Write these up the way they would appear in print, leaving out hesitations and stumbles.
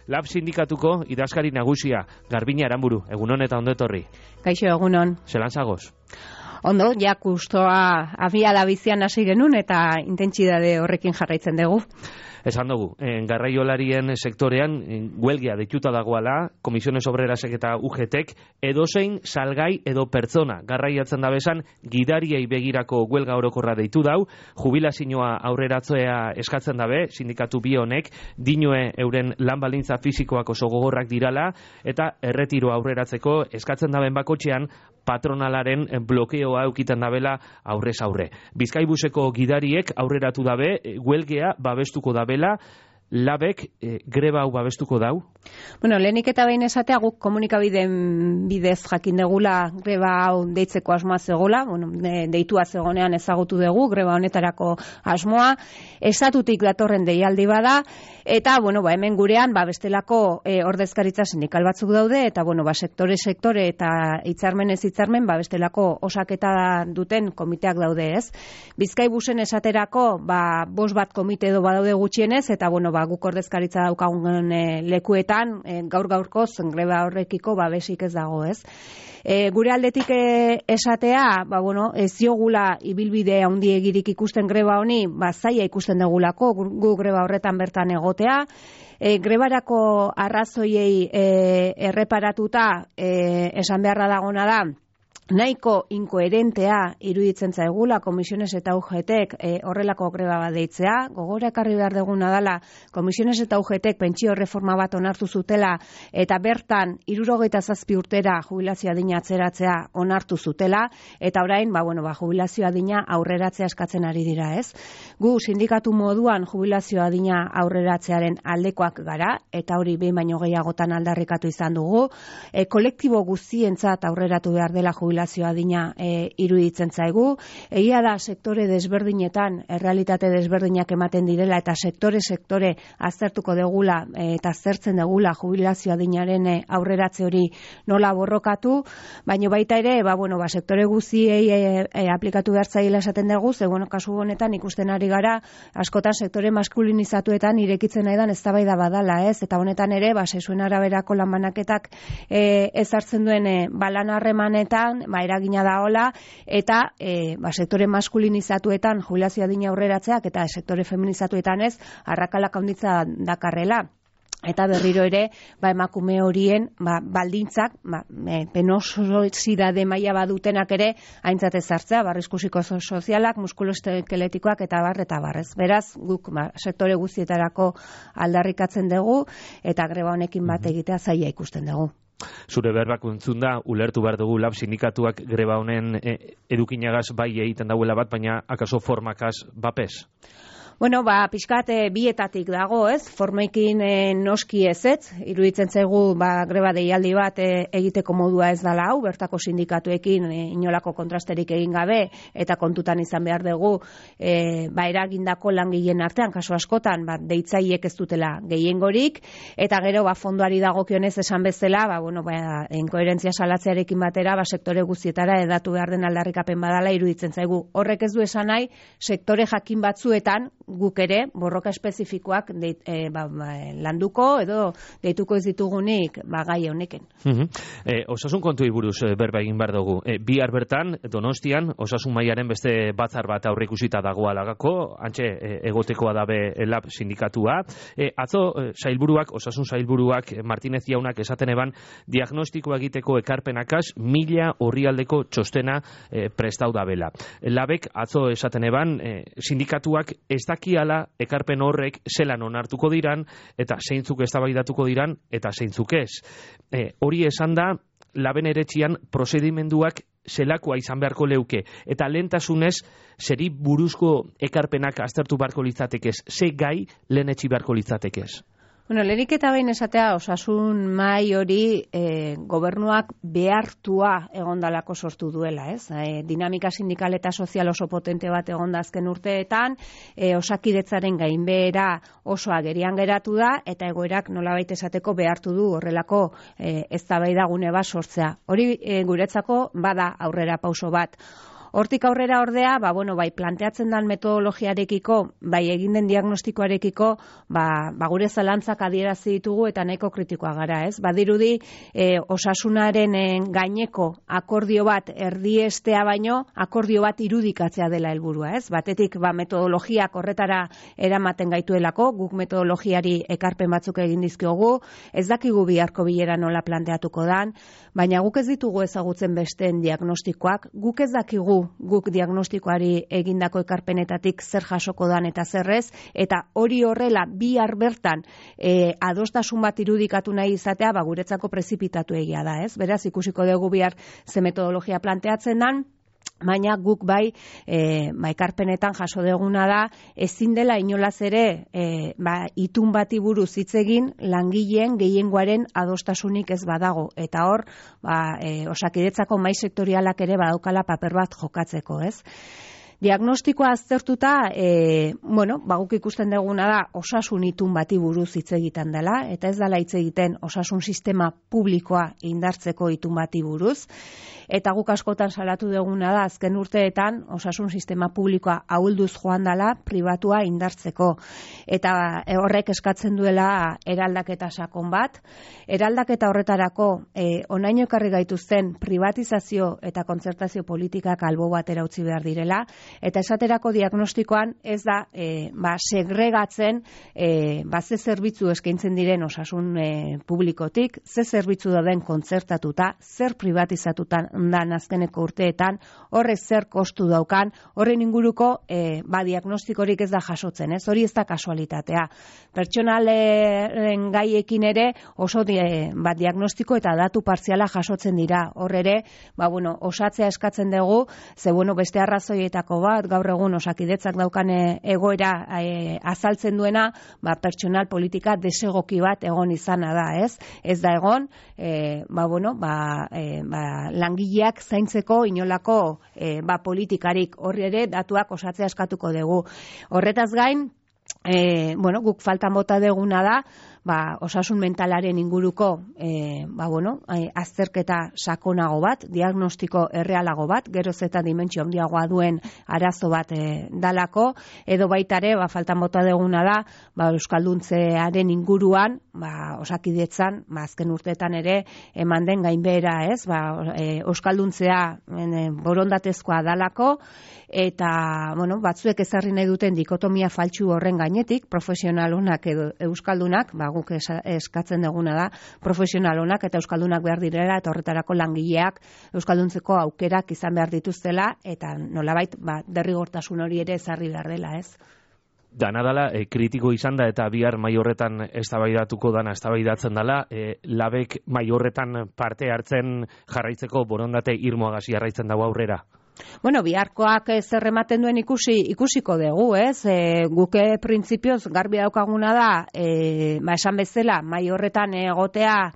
Lab sindikatuko idazkari nagusia, Garbina Aranburu, egunon eta ondo etorri. Kaixo, egunon. Zelan zagoz? Ondo, ja kustoa abiada bizian hasi genuen eta intentsitate horrekin jarraitzen dugu. Esan dugu, garraiolarien sektorean huelgia deituta dagoela, Komisiones Obrerasek eta UGTek, edozein salgai edo pertsona garraiatzen da bezan, gidariei begirako huelga orokorra deitu dau, jubilazioa aurreratzea eskatzen dabe, sindikatu bi honek, dinue euren lan baldintza fisikoak oso gogorrak dirala, eta erretiro aurreratzeko eskatzen daben bakotxean, patronalaren blokeoa eukiten dabela aurrez aurre. Bizkaibuseko gidariek aurreratu dabe, huelgea babestuko dabela, Labek greba hau babestuko dau? Bueno, lehenik eta behin esatea guk komunikabideen bidez jakin degula greba hau deitzeko asmoa zegoela, deitua zegonean ezagutu dugu greba honetarako asmoa, estatutik datorren deialdi bada, eta hemen gurean bestelako ordezkaritza sindikal batzuk daude, eta sektore eta hitzarmenez hitzarmen bestelako osaketa duten komiteak daude, ez? Bizkaibusen esaterako 5 bat komite edo badaude gutxienez, eta guk ordezkaritza daukagun lekuetan gaur-gaurkoz greba horrekiko babesik ez dago, ez? Gure aldetik esatea, ez diogula ibilbide handiegirik ikusten greba honi, zaila ikusten degulako, gu greba horretan bertan egotea, grebarako arrazoiei erreparatuta esan beharra dagona da, nahiko inkoherentea iruditzen zaigula Komisiones eta UGTek horrelako greba bat deitzea. Gogora ekarri behar deguna dela Komisiones eta UGTek pentsio reforma bat onartu zutela eta bertan 67 urtera jubilazio adina atzeratzea onartu zutela eta orain jubilazio adina aurreratzea eskatzen ari dira, ez? Gu sindikatu moduan jubilazio adina aurreratzearen aldekoak gara eta hori behin baino gehiagotan aldarrikatu izan dugu. Kolektibo guztientzat aurreratu behar dela jubilazio adina iruditzen zaigu. Egia da sektore desberdinetan, errealitate desberdinak ematen direla eta sektore aztertuko degula eta aztertzen degula jubilazio adinaren aurreratze hori nola borrokatu, baina baita ere, sektore guztiei aplikatu behar zaila esaten dugu, ze kasu honetan ikusten ari gara, askotan sektore maskulinizatuetan irekitzen nahi dan eztabaida badala, ez? Eta honetan ere, sexuen araberako lanbanaketak ezartzen duen lan harremanetan eragina daola, eta sektore maskulinizatuetan jubilazio adina aurreratzeak eta sektore feminizatuetan ez, arrakalak handitza dakarrela. Eta berriro ere, emakume horien baldintzak, penosidade maila badutenak ere, aintzat ezartzea, arrisku psikosozialak, muskuloeskeletikoak eta barrez. Beraz, guk sektore guztietarako aldarrikatzen dugu, eta greba honekin bat egitea zaila ikusten dugu. Zure berbak entzun da, ulertu behar dugu Lab sindikatuak greba honen edukinagaz bai egiten dauela bat, baina akaso formakaz bapez? Pixkat bietatik dago, ez? Formekin noski ez, iruditzen zaigu greba deialdi bat egiteko modua ez dala hau, bertako sindikatuekin inolako kontrasterik egin gabe, eta kontutan izan behar dugu eragindako langileen artean, kasu askotan, deitzaiek ez dutela gehiengorik, eta gero fondoari dagokionez esan bezala, inkoherentzia salatzearekin batera, sektore guztietara edatu behar den aldarrikapen badala iruditzen zaigu. Horrek ez du esan nahi, sektore jakin batzuetan, guk ere, borroka espezifikoak landuko edo deituko ez ditugunik gai honeken. Osasun kontuei buruz berba egin behar dugu. Bihar bertan, Donostian, osasun mailaren beste batzar bat aurreikusita dagoelagako, antxe egotekoa dabe Lab sindikatua. Atzo, osasun sailburuak, Martinez jaunak esaten eban, diagnostikoa egiteko ekarpenakaz 1000 orrialdeko txostena prestau dabela. Labek atzo esaten eban, sindikatuak ez dakiala ekarpen horrek zelan onartuko diran, eta zeintzuk eztabaidatuko diran, eta zeintzuk ez. Hori esan da, Laben eretxian prozedimenduak zelakoa izan beharko leuke, eta lehentasunez, zeri buruzko ekarpenak aztertu beharko litzatekez, ze gai lehenetxi beharko litzatekez? Lehenik eta behin esatea osasun mahai hori gobernuak behartua egondalako sortu duela, ez? Dinamika sindikal eta sozial oso potente bat egonda azken urteetan, osakidetzaren gainbehera oso agerian geratu da, eta egoerak nolabait esateko behartu du horrelako eztabaida gune bat sortzea. Hori guretzako bada aurrera pauso bat. Hortik aurrera ordea, bai planteatzen den metodologiarekiko, bai egin den diagnostikoarekiko, gure zalantzak adierazi ditugu eta nahiko kritikoa gara, ez? Badirudi osasunaren gaineko akordio bat erdiestea baino, akordio bat irudikatzea dela helburua, ez? Batetik metodologiak horretara eramaten gaituelako, guk metodologiari ekarpen batzuk egin dizkiogu, ez dakigu biharko bilera nola planteatuko dan, baina guk ez ditugu ezagutzen besteen diagnostikoak, guk ez dakigu guk diagnostikoari egindako ekarpenetatik zer jasoko dan eta zerrez, eta hori horrela bihar bertan adostasun bat irudikatu nahi izatea, guretzako prezipitatu egia da, ez? Beraz, ikusiko dugu bihar ze metodologia planteatzen dan, baina guk ekarpenetan jaso deguna da, ezin dela inolaz ere itun bati buruz hitz egin langileen gehiengoaren adostasunik ez badago, eta hor Osakidetzako mahai sektorialak ere badaukala paper bat jokatzeko, ez? Diagnostikoa aztertuta, guk ikusten duguna da osasun itun bati buruz hitz egiten dela, eta ez dela hitz egiten osasun sistema publikoa indartzeko itun bati buruz, eta guk askotan salatu duguna da azken urteetan osasun sistema publikoa ahulduz joan dela pribatua indartzeko, eta horrek eskatzen duela eraldaketa sakon bat, eraldaketa horretarako onaino ekarri gaituzten privatizazio eta kontzertazio politikak albo batera utzi behar direla, eta esaterako diagnostikoan ez da segregatzen ze zerbitzu eskaintzen diren osasun publikotik, ze zerbitzu dauden kontzertatuta, zer privatizatutan dan azkeneko urteetan, horrez zer kostu daukan, horren inguruko diagnostikorik ez da jasotzen, ez? Hori ez da kasualitatea. Pertsonalen gaiekin ere oso diagnostiko eta datu partziala jasotzen dira. Hor ere, osatzea eskatzen dugu, ze beste arrazoietako bat, gaur egun Osakidetzak daukan egoera azaltzen duena, pertsonal politika desegoki bat egon izana da, ez? Ez da egon, langileak zaintzeko inolako politikarik, horri ere datuak osatzea eskatuko dugu. Horretaz gain, guk faltan bota deguna da, osasun mentalaren inguruko azterketa sakonago bat, diagnostiko errealago bat, geroz eta dimentsio handiagoa duen arazo bat dalako, edo baitare faltan bota deguna da, euskalduntzearen inguruan, Osakidetzan, azken urteetan ere eman den gainbehera, ez? Euskalduntzea borondatezkoa dalako, eta batzuek ezarri nahi duten dikotomia faltsu horren gainetik, profesional onak edo euskaldunak, guk eskatzen duguna da, profesional onak eta euskaldunak behar direla, eta horretarako langileak euskalduntzeko aukerak izan behar dituztela, eta nolabait derrigortasun hori ere ezarri behar dela, ez? Dana dela, kritiko izan da eta bihar mahai horretan eztabaidatuko dana eztabaidatzen dela, labek mahai horretan parte hartzen jarraitzeko borondate irmoagasi jarraitzen dago aurrera. Biharkoak zer ematen duen ikusiko dugu, ez? Guke printzipioz garbi daukaguna da, esan bezala, mahai horretan egotea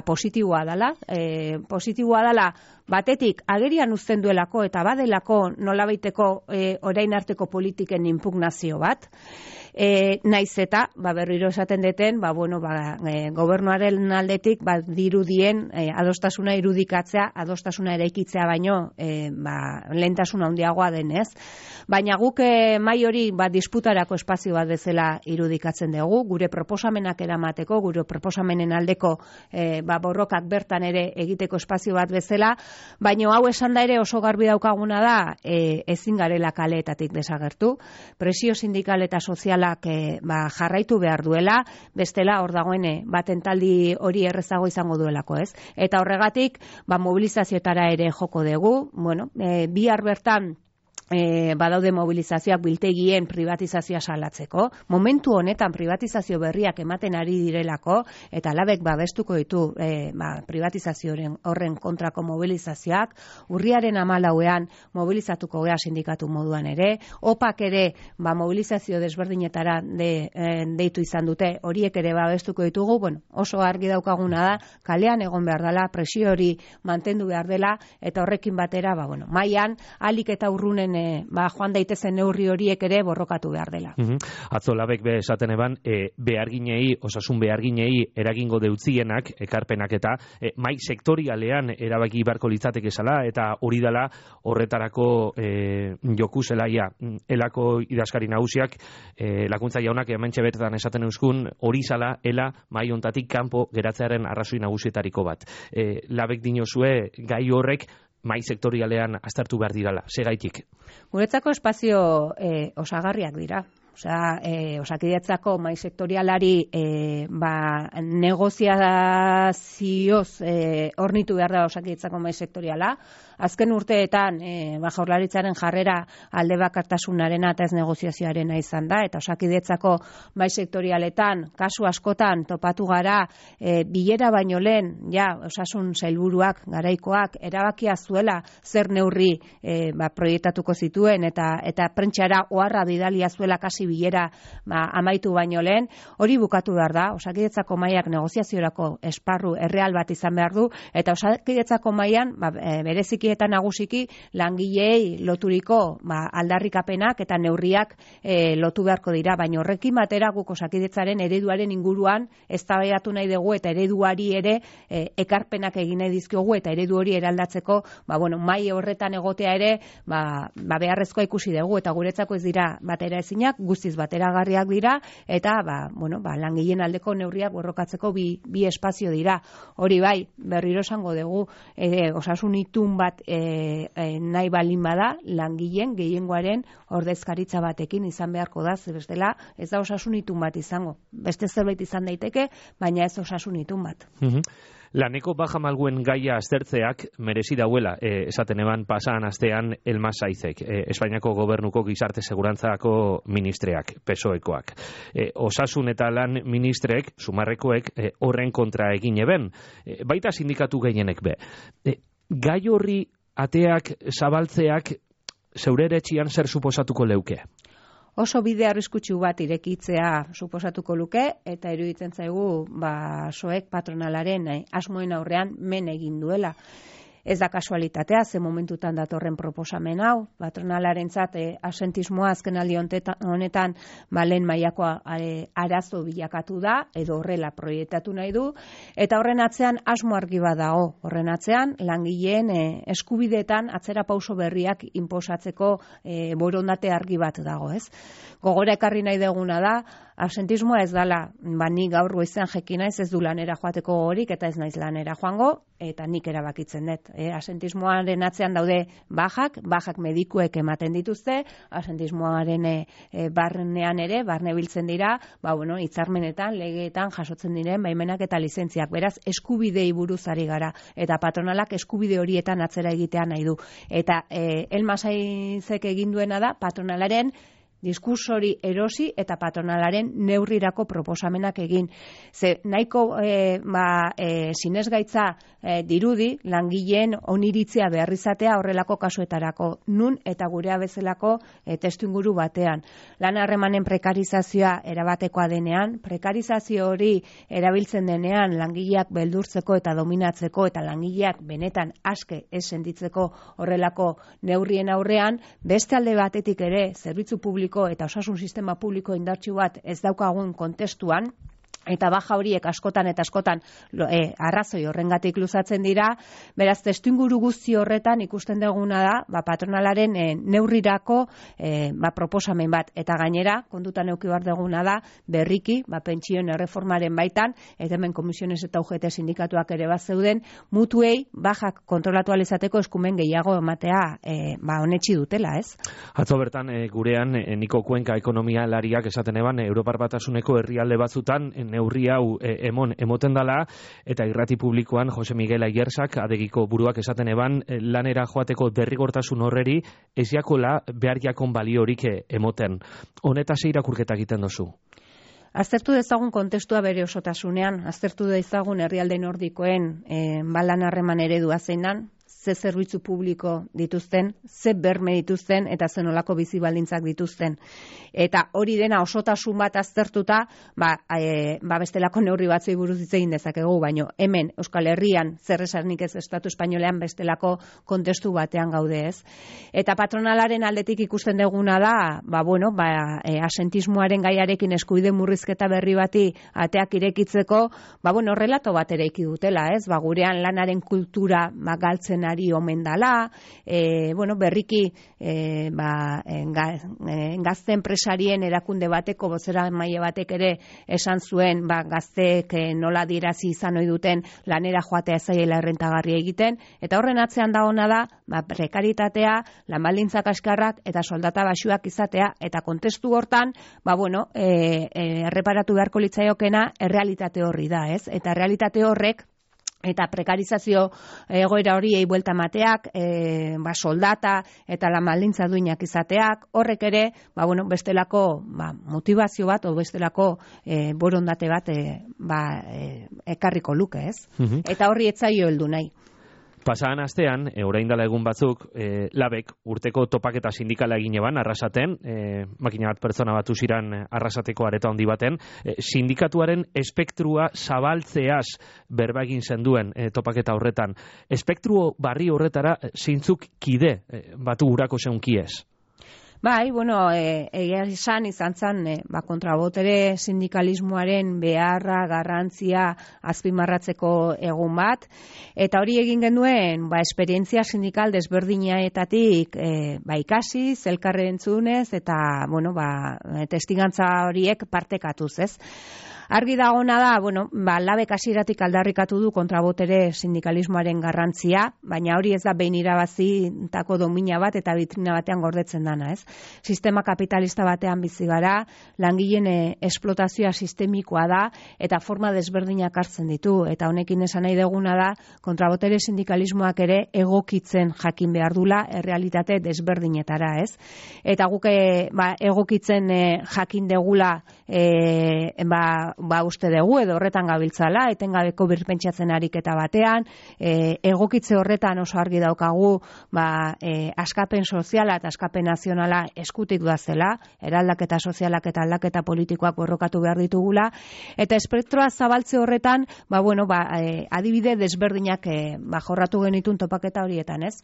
positiboa dela. Positiboa dela, batetik agerian uzten duelako eta badelako nolabaiteko orain arteko politiken inpugnazio bat. Naiz eta, berriro esaten deten, gobernuaren aldetik dirudien adostasuna irudikatzea, adostasuna eraikitzea baino lehentasuna handiagoa denez. Baina guk mahai hori disputarako espazio bat bezala irudikatzen dugu, gure proposamenak eramateko, gure proposamenen aldeko borrokak bertan ere egiteko espazio bat bezala, baina hau esan da ere oso garbi daukaguna da ezin garela kaleetatik desagertu, presio sindikal eta sozialak jarraitu behar duela, bestela hor dagoen batentaldi hori errezago izango duelako, ez? Eta horregatik, mobilizazioetara ere joko dugu, bihar bertan badaude mobilizazioak biltegien privatizazioa salatzeko. Momentu honetan privatizazio berriak ematen ari direlako, eta labek babestuko ditu privatizazioaren horren kontrako mobilizazioak, urriaren 14ean mobilizatuko gea sindikatu moduan ere, opak ere mobilizazio desberdinetara deitu izan dute, horiek ere babestuko ditugu, oso argi daukaguna da, kalean egon behar dela, presio hori mantendu behar dela, eta horrekin batera, mailan, alik eta urrunen joan daitezen neurri horiek ere borrokatu behar dela. Atzo labek be esaten eban, beharginei, osasun beharginei eragingo deutzienak, ekarpenak eta mai sektorialean erabaki beharko litzateke zela, eta hori dela horretarako joku zelaia. Elako idazkari nagusiak, lakuntza jaunak hementxe betetan esaten euskun, hori zala, ela mai ontatik kanpo geratzearen arrazoi nagusietariko bat. Labek dinozue gai horrek mai sektorialean aztertu behar dirala, segaitik? Guretzako espazio osagarriak dira. Osakidetzako mai sektorialari negoziazioz hornitu behar da Osakidetzako mai sektoriala. Azken urteetan Jaurlaritzaren jarrera alde bakartasunarena eta ez negoziazioarena izan da, eta Osakidetzako mai sektorialetan kasu askotan topatu gara bilera baino lehen osasun sailburuak garaikoak erabakia zuela zer neurri proiektatuko zituen eta prentxara oharra bidalia zuela kasi bilera amaitu baino lehen. Hori bukatu behar da. Osakidetzako maiak negoziaziorako esparru erreal bat izan behar du, eta Osakidetzako maian bereziki eta nagusiki langileei loturiko aldarrikapenak eta neurriak lotu beharko dira, baina horrekin batera guk Osakidetzaren ereduaren inguruan eztabaidatu nahi dugu, eta ereduari ere ekarpenak egin nahi dizkiogu, eta eredu hori eraldatzeko mai horretan egotea ere beharrezkoa ikusi dugu, eta guretzako ez dira batera ezinak, guztiz bateragarriak dira, eta langileen aldeko neurriak borrokatzeko bi espazio dira. Hori bai, berriro esango dugu, osasun itun bat nahi balin bada, langileen gehiengoaren ordezkaritza batekin izan beharko da, bestela ez da osasun itun bat izango. Beste zerbait izan daiteke, baina ez osasun itun bat. Laneko baja malguen gaia aztertzeak merezi dauela, esaten eban pasan astean Elma Saizek, Espainiako gobernuko gizarte segurantzako ministreak, PSOEkoak. Osasun eta lan ministrek, sumarrekoek, horren kontra egin eben, baita sindikatu gehienek be. Gai horri ateak zabaltzeak zeure etxian zer suposatuko leuke? Oso bide arriskutsu bat irekitzea suposatuko luke, eta iruditzen zaigu soek patronalaren asmoen aurrean men egin duela. Ez da kasualitatea, ze momentutan datorren proposamen hau, patronalarentzat asentismoa azkenaldi honetan lehen mailako arazo bilakatu da, edo horrela proiektatu nahi du, eta horren atzean asmo argi bat dago. Horren atzean langileen eskubideetan atzera pauso berriak inposatzeko borondate argi bat dago, ez? Gogora ekarri nahi deguna da, absentismoa ez dala, ni gaur goizean jekin naiz, ez du lanera joateko gogorik, eta ez naiz lanera joango, eta nik erabakitzen dut. Absentismoaren atzean daude bajak medikuek ematen dituzte, absentismoaren barnean ere, barne biltzen dira, hitzarmenetan, legeetan jasotzen diren baimenak eta lizentziak. Beraz, eskubidei buruz ari gara, eta patronalak eskubide horietan atzera egitea nahi du. Eta Elma Saizek egin duena da, patronalaren diskursori erosi eta patronalaren neurrirako proposamenak egin. Ze nahiko sinesgaitza dirudi langileen oniritzia behar izatea horrelako kasuetarako, nun eta gurea bezalako testuinguru batean. Lan harremanen prekarizazioa erabatekoa denean, prekarizazio hori erabiltzen denean langileak beldurtzeko eta dominatzeko, eta langileak benetan aske ez sentitzeko horrelako neurrien aurrean, beste alde batetik ere zerbitzu publiko eta osasun sistema publiko indartsu bat ez daukagun kontestuan, eta baja horiek askotan eta askotan arrazoi horrengatik luzatzen dira. Beraz, testuinguru guzti horretan ikusten duguna da patronalaren neurrirako proposamen bat, eta gainera kontutan eduki behar duguna da berriki pentsioen erreformaren baitan, eta hemen komisiones eta UGT sindikatuak ere bat zeuden, mutuei bajak kontrolatu ahal izateko eskumen gehiago ematea onetsi dutela, ez? Atzo bertan gurean Niko Kuenka ekonomialariak esaten eban Europar Batasuneko herrialde batzutan neurri hau emoten dala, eta irrati publikoan Jose Miguel Ayersak adegiko buruak esaten eban lanera joateko derrigortasun horreri ez jakola behar jakon baliorik emoten. Honetaz irakurketa egiten dozu? Aztertu dezagun kontestua bere osotasunean, aztertu dezagun herrialde nordikoen lan harreman eredua zein dan, ze zerbitzu publiko dituzten, ze berme dituzten eta ze nolako bizi baldintzak dituzten. Eta hori dena osotasun bat aztertuta, bestelako neurri batzui buruz hitz egin dezakegu, baino hemen Euskal Herrian zer esanik ez Estatu Espainolean bestelako kontestu batean gaude, ez. Eta patronalaren aldetik ikusten duguna da, asentismoaren gaiarekin eskubide murrizketa berri bati ateak irekitzeko, relato bat ere dutela, ez? Gurean lanaren kultura galtzen ari omen dala, berriki gazte enpresarien erakunde bateko bozera maila batek ere esan zuen, gazteek nola dirazi izan ohi duten lanera joatea zaiela errentagarri egiten, eta horren atzean da ona da, prekaritatea, lan baldintza kaskarrak eta soldata baxuak izatea, eta kontestu hortan, erreparatu beharko litzaiokena errealitate horri da, ez? Eta errealitate horrek eta prekarizazio egoera horiei buelta emateak, soldata eta lan baldintza duinak izateak, horrek ere, bestelako motivazio bat o bestelako borondate bat ekarriko luke, ez? Eta horri ez zaio heldu nahi. Pasadan astean, orain dela egun batzuk, labek urteko topaketa sindikala egin eban, Arrasaten, makina bat pertsona batu ziran Arrasateko areta handi baten, sindikatuaren espektrua zabaltzeaz berba egin zenduen topaketa horretan. Espektru barri horretara zeintzuk kide batu urako zeunkiez? Egia izan zen, kontrabotere sindikalismoaren beharra, garrantzia azpimarratzeko egun bat, eta hori egin genuen, esperientzia sindikal desberdinaetatik ikasi, elkarren entzunez, eta, testigantza horiek partekatuz, ez? Argi dagona da, labek hasieratik aldarrikatu du kontrabotere sindikalismoaren garrantzia, baina hori ez da behin irabazitako domina bat eta bitrina batean gordetzen dana, ez? Sistema kapitalista batean bizi gara, langileen esplotazioa sistemikoa da eta forma desberdinak hartzen ditu, eta honekin esan nahi duguna da kontrabotere sindikalismoak ere egokitzen jakin behar dula errealitate desberdinetara, ez? Eta guk egokitzen jakin degula uste dugu edo horretan gabiltzala, etengabeko birpentsatzen ariketa batean, egokitze horretan oso argi daukagu askapen soziala eta askapen nazionala eskutik doazela, eraldaketa sozialak eta aldaketa politikoak borrokatu behar ditugula, eta espektroa zabaltze horretan, adibide desberdinak jorratu genitun topaketa horietan, ez?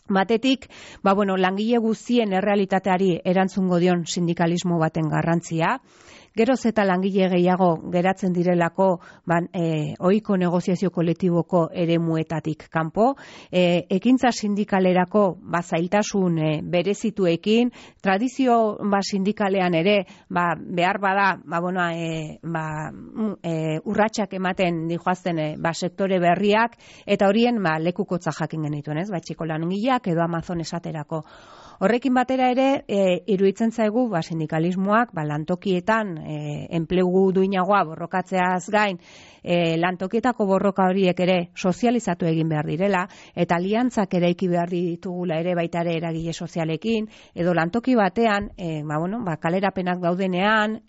Batetik, langile guztien errealitateari erantzungo dion sindikalismo baten garrantzia, geroz eta langile gehiago geratzen direlako ohiko negoziazio kolektiboko eremuetatik kanpo, ekintza sindikalerako zailtasun berezituekin, tradizio sindikalean ere behar bada urratsak ematen dijoazten sektore berriak, eta horien lekukotza jakin genituen, ez? Txiko langileak edo Amazon esaterako. Horrekin batera ere, iruditzen zaigu sindikalismoak lantokietan enplegu duinagoa borrokatzeaz gain, lantokietako borroka horiek ere sozializatu egin behar direla, eta aliantzak eraiki behar ditugula ere baita ere eragile sozialekin, edo lantoki batean, kalerapenak daudenean,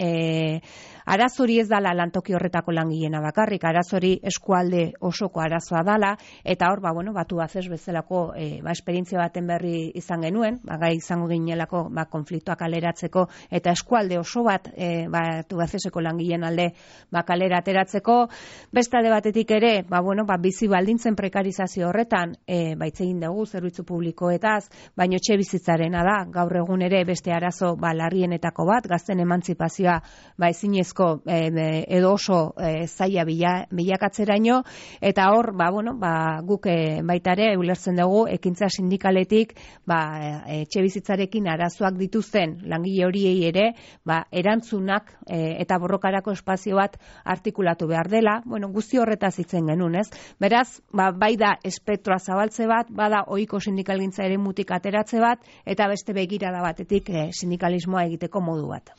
arazori ez dala lantoki horretako langileena bakarrik, arazori eskualde osoko arazoa dala, eta hor, batu bazez bezalako esperientzia baten berri izan genuen, gai izango ginelako konfliktoak kaleratzeko, eta eskualde oso bat batu bazezeko langileen alde kalera ateratzeko. Beste alde batetik ere, bizi baldintzen prekarizazio horretan, egin dugu zerbitzu publikoetaz, baino etxe bizitzarena da, gaur egun ere beste arazo larrienetako bat, gazten emantzipazioa ezinezko edo oso zaila bilakatzeraino, eta hor, guk baita ere ulertzen dugu ekintza sindikaletik etxe bizitzarekin arazoak dituzten langile horiei ere erantzunak eta borrokarako espazio bat artikulatu behar dela, guzti horretaz hitzen genuen, ez? Beraz, bai da espektroa zabaltze bat, bada ohiko sindikalgintza ere mutik ateratze bat, eta beste begirada batetik sindikalismoa egiteko modu bat.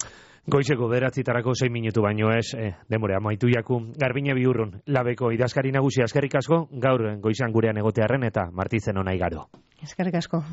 Goizeko 9:06 minutu baino ez, denbora amaitu jaku. Garbine Biurrun, labeko idazkari nagusia, eskerrik asko, gaur goizan gurean egotearren eta martitzen ona igaro. Eskerrik asko.